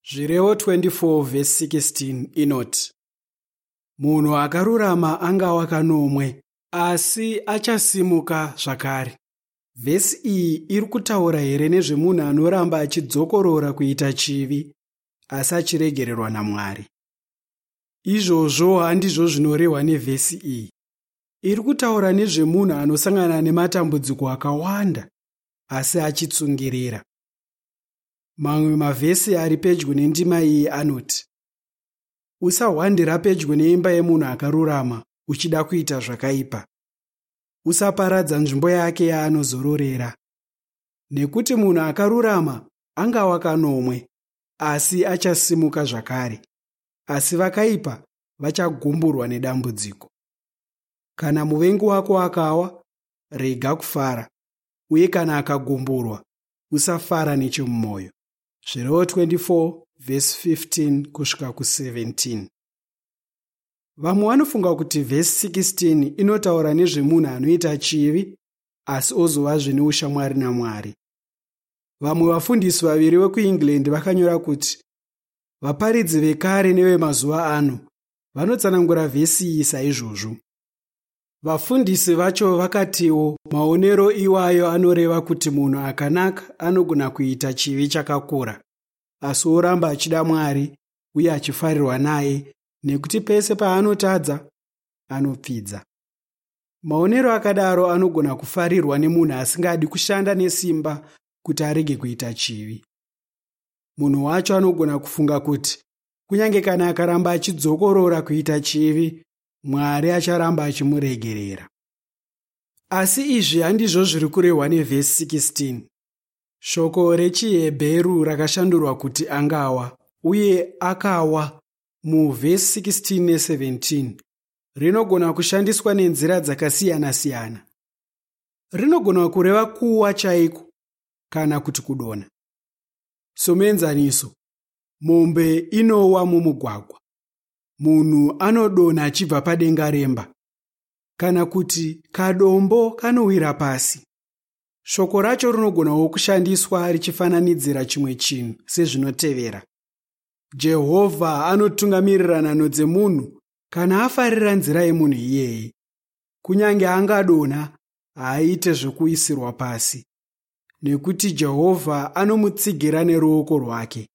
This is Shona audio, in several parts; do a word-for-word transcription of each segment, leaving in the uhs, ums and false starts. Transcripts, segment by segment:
Zvirevo twenty four vhesi sixteen inoti, Munhu akarurama angawa kanomwe, asi achasimuka zvakare. Vhesi iyi iri kutaura here nezvemunhu anoramba achidzokorora kuita chivi asi achiregererwa naMwari? Izvozvo handizvo zvinorehwa nevhesi iyi. Iri kutaura nezvemunhu anosangana nematambudziko akawanda asi achitsungirira. Mamwe mavhesi ari pedyo nendima iyi anoti, Usahwandira pedyo neimba yemunhu akarurama uchida kuita zvakaipa. Usaparadza nzvimbo yake yaanozororera. Nekuti munhu akarurama angawa kanomwe, asi achasimuka zvakare. Asi vakaipa vachagumburwa nedambudziko. Kana muvengi wako akawa, rega kufara, uye kana akagumburwa, usafara nechemumwoyo. Zvirevo twenty four vhesi fifteen kusvika ku seventeen. Vamwe vanofunga kuti vhesi sixteen inotaura nezvemunhu anoita chivi asi ozovazve neushamwari naMwari. Vamwe vafundisi vaviri vekuEngland vakanyora kuti vaparidzi vekare nevemazuva ano vanotsanangura vhesi iyi saizvozvo. Vafundisi vacho vakatiwo maonero iwayo anoreva kuti munhu akanaka anogona kuita chivi chakakura, asi oramba achida Mwari uye achifarirwa naye nekuti pese paanotadza anopfidza. Maonero akadaro anogona kufarirwa nemunhu asingadi kushanda nesimba kuti arege kuita chivi. Munhu wacho anogona kufunga kuti kunyange kana akaramba achidzokorora kuita chivi, Mwari acharamba achimuregerera. Asi izvi handizvo zviri kurehwa nevhesi sixteen. Shoko rechiHebheru rakashandurwa kuti angawa uye akawa muvhesi sixteen ne seventeen rinogona kushandiswa nenzira dzakasiyana-siyana. Rinogona kureva kuwa chaiko kana kuti kudonha. Somuenzaniso, mombe inowa mumugwagwa. Munhu anodonha achibva padenga remba, kana kuti kadombo kanowira pasi. Shoko racho rinogonawo kushandiswa richifananidzira chimwe chinhu sezvinotevera. Jehovha anotungamirira nhanho dzemunhu kana afarira nzira yemunhu iyeye. Kunyange angadonha, haaite zvekuisirwa pasi, nekuti Jehovha anomutsigira neruoko rwake.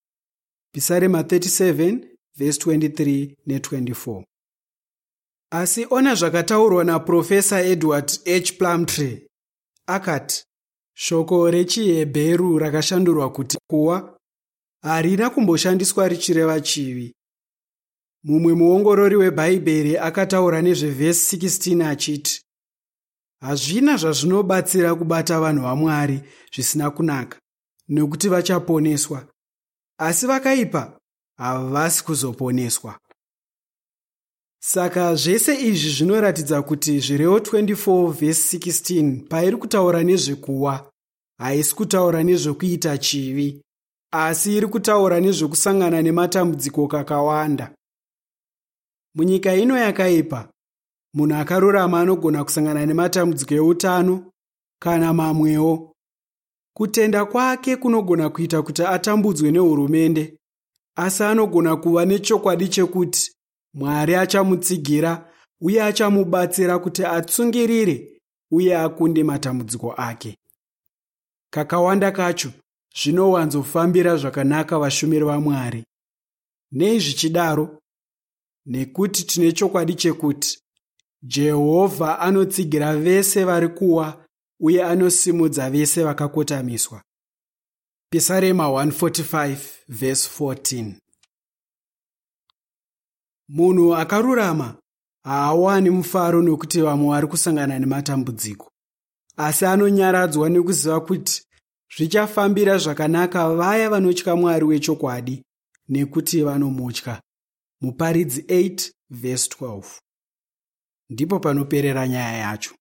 Pisarema thirty seven vhesi twenty three ne twenty four. Asi ona zvakataurwa naProfesa Edward H. Plumptre. Akati, shoko rechiHebheru rakashandurwa kuti kuwa harina kumboshandiswa richireva chivi. Mumwe muongorori weBhaibheri akataura nezvevhesi sixteen achiti, hazvina zvazvinobatsira kubata vanhu vaMwari zvisina kunaka, nekuti vachaponeswa, asi vakaipa havasi kuzoponeswa. Saka zvese izvi zvinoratidza kuti Zvirevo twenty four vhesi sixteen pairi kutaura nezvekuwa, haisi kutaura nezvekuita chivi, asi iri kutaura nezvekusangana nematambudziko kakawanda. Munyika ino yakaipa, munhu akarurama anogona kusangana nematambudziko eutano kana mamwewo. Kutenda kwake kunogona kuita kuti atambudzwe nehurumende, asi anogona kuva nechokwadi chekuti Mwari achamutsigira uye achamubatsira kuti atsungirire uye akunde matambudziko ake. Kakawanda kacho zvinowanzofambira zvakanaka vashumiri vaMwari. Nei zvichidaro? Nekuti tine chokwadi chekuti Jehovha anotsigira vese vari kuwa uye anosimudza vese vakakotamiswa. Pisarema one forty five verse fourteen. Munhu akarurama haawani mufaro nekuti vamwe vari kusangana nematambudziko, asi anonyaradzwa nekuziva kuti zvichafambira zvakanaka vaya vanotya Mwari wechokwadi nekuti vanomutya. Muparidzi eight verse twelve. Ndipo panoperera nyaya yacho.